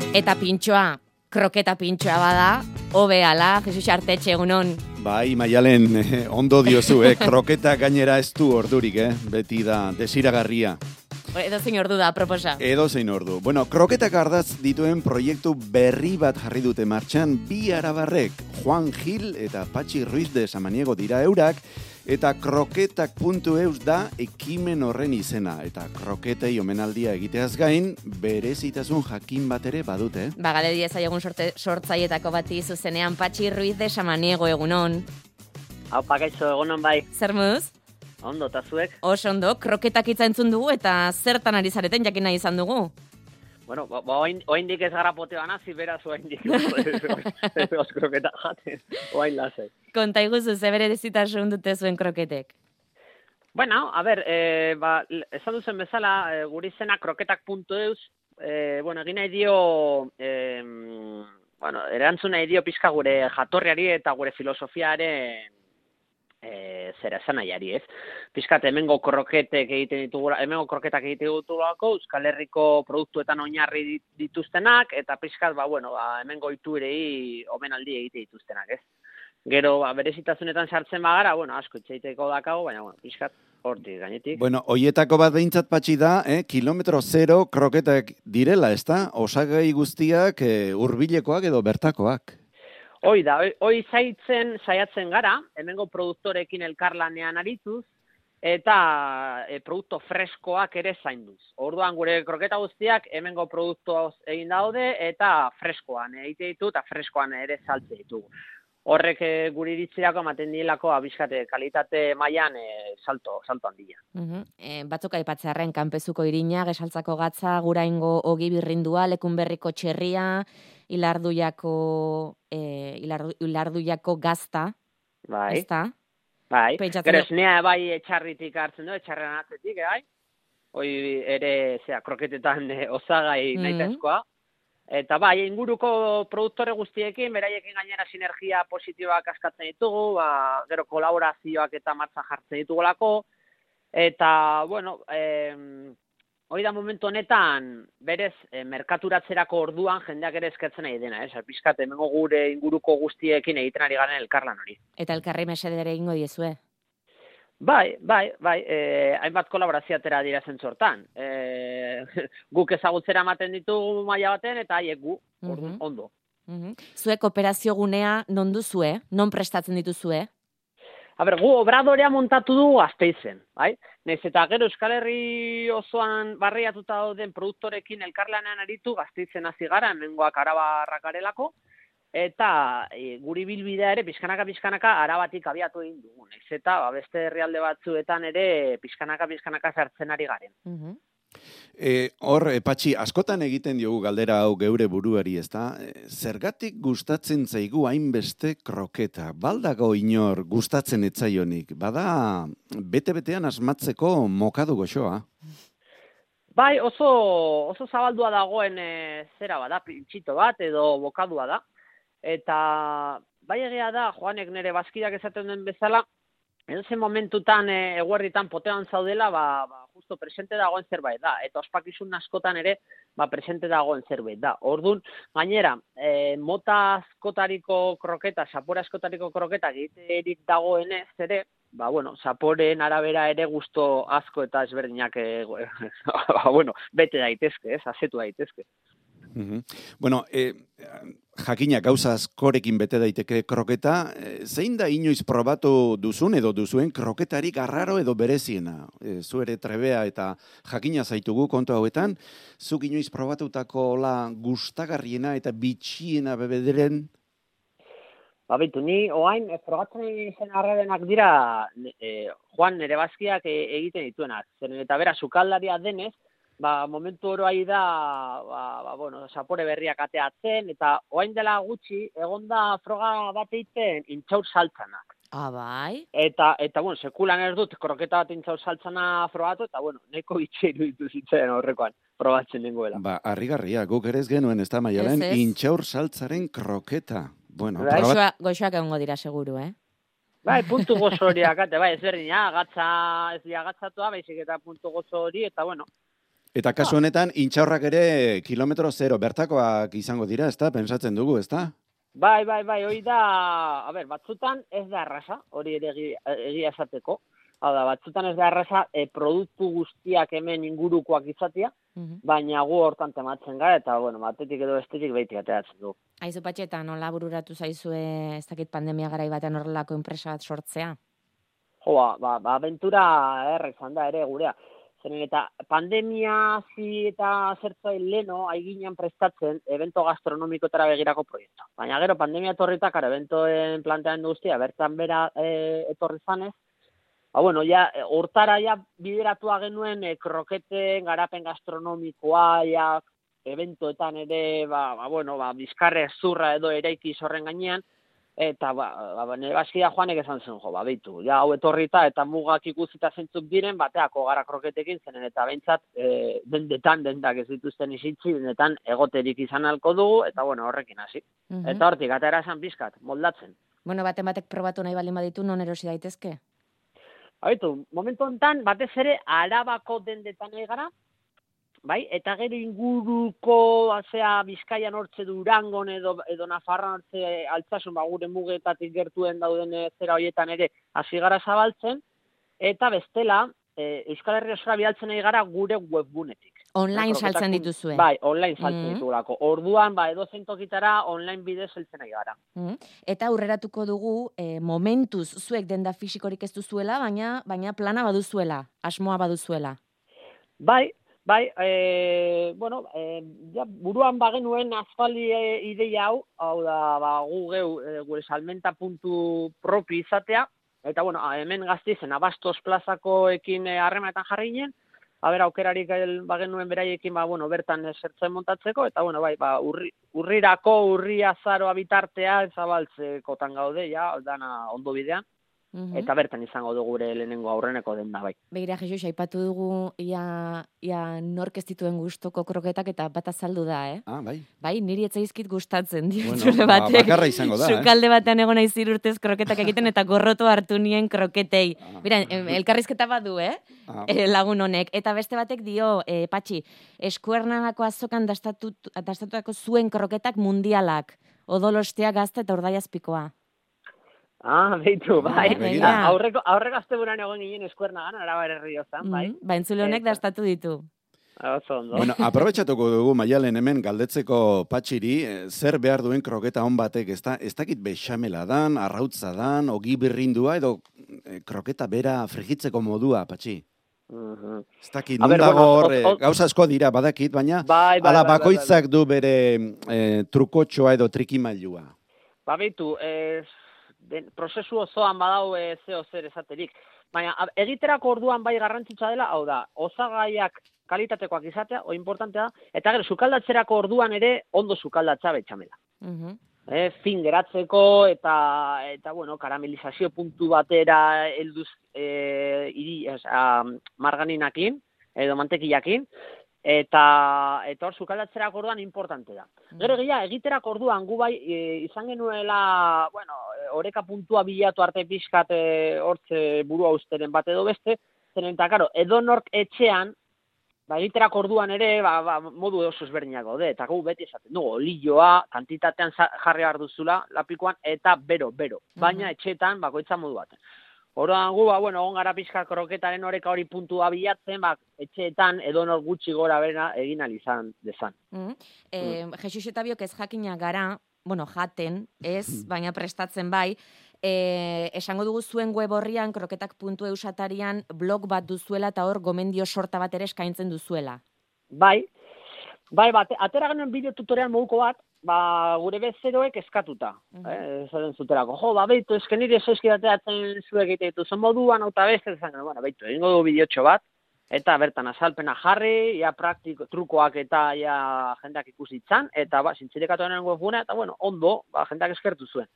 Eta pintxoa, kroketa pintxoa bada, hobe ala, Jesus Artetxe, egunon. Bai, Maialen, ondo diozu, kroketa gainera ez du ordurik, beti da desiragarria. Edo zein ordu da, proposa. Edo zein ordu. Bueno, kroketak ardaz dituen proiektu berri bat jarri dute martxan bi arabarrek, Juan Gil eta Patxi Ruiz de Samaniego dira eurak, eta kroketak.eus da ekimen horren izena. Eta kroketei omenaldia egiteaz gain, berezitasun jakin bat ere badute. Bagale diezaiogun sortzaietako bati zuzenean Patxi Ruiz de Samaniego, egunon. Hau pakaitzo, egunon bai. Zer muz? Ondo, eta zuek? Oso ondo, kroketak hitza entzun dugu eta zertan ari zareten jakin nahi izan dugu. Bueno, oaindik ez gara potea nazi, beraz oaindik ez kroketak jaten, oain lasai. Konta iguzu, ze bere dezitasun dute zuen kroketek? Bueno, a ber, esan duzen bezala, guri zena kroketak.eus, egin nahi dio, erantzun nahi dio pixka gure jatorriari eta gure filosofiaren zera esan nahiari, ez? Piskat, hemengo kroketak egiten ditugulako, Euskal Herriko produktuetan oinarri dituztenak, eta piskat, hemengo iturei omenaldi egite dituztenak, ez? Gero, berezitasunetan sartzen bagara, asko itxaiteko dakago, baina, piskat, hortik, gainetik. Bueno, hoietako bat behintzat Patxi da, kilometro zero kroketak direla, ez da? Osagai guztiak hurbilekoak edo bertakoak. Hoi da, hoi saiatzen gara, hemengo produktorekin elkarlanean arituz, eta produktu freskoak ere zainduz. Orduan gure kroketa guztiak hemengo produktu egin daude, eta freskoan egite ditu, eta freskoan ere saltze ditugu. Horrek guri iritzirako ematen dielako abiskate kalitate mailan salto handia. Batzuk aipatzearren kanpezuko irina, gesaltzako gatza, guraingo ogi birrindua, lekunberriko txerria, ilarduiako gazta, bai. ezta? Bai, gero esnea bai etxarritik hartzen du, etxarren atzetik, bai? Hoi ere, kroketetan osagai nahitaezkoa. Eta bai, inguruko produktore guztiekin, beraiekin gainera sinergia positiboak askatzen ditugu, gero kolaborazioak eta martza jartzen ditugulako, eta, hori da momentu honetan, berez, merkaturatzerako orduan jendeak ere eskatzen nahi dena, piskat, hemengo gure inguruko guztiekin egiten ari garen elkarlan hori. Eta elkarri mesedere egingo diezue? Bai, hainbat kolaborazioatera dira zentzortan. Guk ezagutzera ematen ditugu maila baten, eta haiek gu, ondo. Zuek operazio gunea non duzue? Non prestatzen dituzue? Gu obradorea montatu dugu Gasteizen, bai? Naiz eta gero Euskal Herri osoan barriatuta dauden produktorekin elkarlanean aritu Gasteizen hasi gara, hemengoak arabarrak garelako, eta guri bilbidea ere pixkanaka arabatik abiatu egin dugu. Naiz eta beste herrialde batzuetan ere pixkanaka sartzen ari garen. Hor, Patxi, askotan egiten diogu galdera hau geure buruari, ezta? Zergatik gustatzen zaigu hainbeste kroketa? Baldago inor gustatzen etzaionik? Bada, bete-betean asmatzeko mokadu goxoa? Bai, oso zabaldua dagoen zera bada, pintxito bat edo bokadua da. Eta bai egia da, Joanek nire bazkidak esaten den bezala, edozen momentutan eguerritan potean zaudela, justo presente dagoen zerbait da. Eta ospakizun askotan ere, presente dagoen zerbait da. Orduan, gainera, mota askotariko kroketa, zapore askotariko kroketa egiterik dagoenez ere, zaporeen arabera ere gusto asko eta ezberdinak bete daitezke, azetu daitezke. Jakina gauza askorekin bete daiteke kroketa, zein da inoiz probatu duzun edo duzuen kroketarik arraro edo bereziena? Zu ere trebea eta jakina zaitugu kontu hauetan, zuk inoiz probatutako gustagarriena eta bitxiena bebederen? Ni oain probatzen zen arrarenak dira Juan nire bazkiak egiten dituenak. Zeren eta bera, sukaldaria denez, momentu oroai da, zapore berriak ateatzen, eta oain dela gutxi, egonda froga bat egiten intxaur saltzanak. Bai? Eta sekulan ez dut kroketa bat intxaur saltzana frogatu, eta neko bitxeiru dituzitzen horrekoan, probatzen nengoela. Harrigarria, guk ere ez genuen, ez da, Maialen, intxaur saltzaren kroketa. Goxoak egongo dira seguru, puntu gozo horiak, ez berdina, gatza ez dira gatzatua, baizik eta puntu gozo hori, eta Eta kasu honetan, intxaurrak ere kilometro zero, bertakoak izango dira, ezta? Pensatzen dugu, ezta? Bai, hori da, batzutan ez da erraza, hori ere egia esateko. Hau da, batzutan ez da erraza produktu guztiak hemen ingurukoak izatea, baina gu hortan tematzen gara, eta, batetik edo bestetik behitik ateratzen du. Aizu Patxeta, nola bururatu zaizue ez dakit pandemia garai batean horrelako enpresa bat sortzea? Abentura errek izan da ere gurea. Zeren eta pandemia eta zertzai leno aiginan prestatzen evento gastronomikotara begirako proiektu. Baina gero pandemia etorritak, eventoen plantean guztia, bertan bera etorri zanez, hortara bideratua genuen kroketen garapen gastronomikoa, eventoetan ere, bizkarre zurra edo eraiki horren gainean, eta nire bazkida Joanek esan zen, beitu, hau etorrita eta mugak ikusita zentzuk diren, bateako gara kroketekin zenen, eta behintzat dendak ez dituzten izitzi, dendetan egoterik izan alko dugu, eta horrekin hasi. Eta hortik, atera esan bizkat, moldatzen. Batek probatu nahi baldin baditu, non erosi daitezke? Momentu honetan, batez ere, Arabako dendetan egara, bai, eta gero inguruko, Bizkaian hortze Durangon edo Nafarroan hortze Altsasun, gure mugetatik gertuen dauden zera horietan ere hasi gara zabaltzen, eta bestela, Euskal Herria osora bidaltzen nahi gara gure webgunetik. Online saltzen dituzue. Bai, online saltzen ditugulako. Orduan, edo zentokitara online bidez saltzen nahi gara. Eta aurreratuko dugu, momentuz zuek denda fisikorik ez duzuela, baina plana baduzuela, asmoa baduzuela. Bai, buruan bagenuen aspaldi ideia hau da, gu gure salmenta puntu propi izatea, eta hemen Gasteizen Abastos plazakoekin harremanetan jarri ginen, aukerarik bagenuen beraiekin bertan zertzen montatzeko, eta urrirako, urri azaroa bitartea zabaltzekotan gaude, dana ondo bidean. Eta bertan izango dugu gure lehenengo aurreneko denda bai. Begira, Jesus, aipatu dugu ia nork ez dituen gustoko kroketak eta bat azaldu da, Bai. Bai, niri etzaizkit gustatzen zure batek. Bakarra izango da, Sukalde batean egon naiz 3 urtez kroketak egiten eta gorroto hartu nien kroketei. Mira, elkarrizketa badu, lagun honek. Eta beste batek dio, Patxi, Eskuernagako azokan dastatutako zuen kroketak mundialak. Odolostea, Gazta eta Urdaiazpikoa. Beitu, bai. Aurreko asteburuan egon ginen Eskuernagan, Arabar Erriozan, bai. Entzule honek dastatu ditu. Bueno, aprobetxatuko dugu, Maialen, hemen galdetzeko Patxiri, zer behar duen kroketa hon batek, ez dakit bexamela dan, arrautza dan, ogi birrindua, edo kroketa bera frigitzeko modua, Patxi? Ez dakit, nun dago hor, gauza asko dira badakit, baina ala bakoitzak du bere trukotxoa edo trikimailua. Beitu, prozesu osoan badau zeo zer esaterik. Baina egiterako orduan bai garrantzitsua dela, hau da, osagaiak kalitatekoak izatea, importantea da, eta gero sukaldatzerako orduan ere ondo sukaldatza betxamela. Fin geratzeko eta karamelizazio puntu batera helduz marganinakin edo mantekillakin, eta hor sukaldatzerako orduan importante da. Gero egiterako orduan gu bai izan genuela, oreka puntua bilatu arte pixkat hortze burua usteren bat edo beste, zeren eta, edo nork etxean, egiterako orduan ere, modu oso ezberdinak gaude, eta gu beti esaten dugu, olioa, kantitatean jarri behar duzula, lapikoan, eta bero. Baina etxeetan, bakoitza modu baten. Orduan gu, on gara pixka kroketaren oreka hori puntua bilatzen, etxeetan edonor gutxi gora bera egin alizan dezan. Jesus eta biok ez jakina gara, jaten, ez, baina prestatzen bai, esango dugu zuen web horrian, kroketak.eu satarian blog bat duzuela eta hor gomendio sorta bat ere eskaintzen duzuela. Bai, atera genuen bideo tutorial moduko bat, gure bezeroek eskatuta. Zaten zuterako, beitu, esken nire esoizkidateatzen zuek egitetu zen moduan, eta beste, beitu, egingo du bideotxo bat, eta bertan azalpena jarri, praktiko, trukoak eta jendeak ikusitzan, eta zintzirekatu denen webgunea, eta ondo, jendeak eskertu zuen.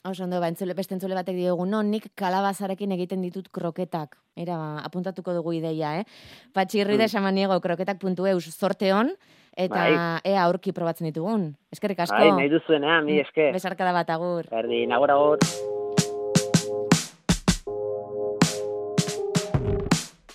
Oso ondo, beste entzule batek diogu, nik kalabazarekin egiten ditut kroketak. Apuntatuko dugu ideia, Patxi Ruides Samaniego, kroketak.eu, zorte hon, eta ea aurki probatzen ditugun. Eskerrik asko. Nahi duzuenean, mi esker. Besarkada bat, agur. Berdin, agur.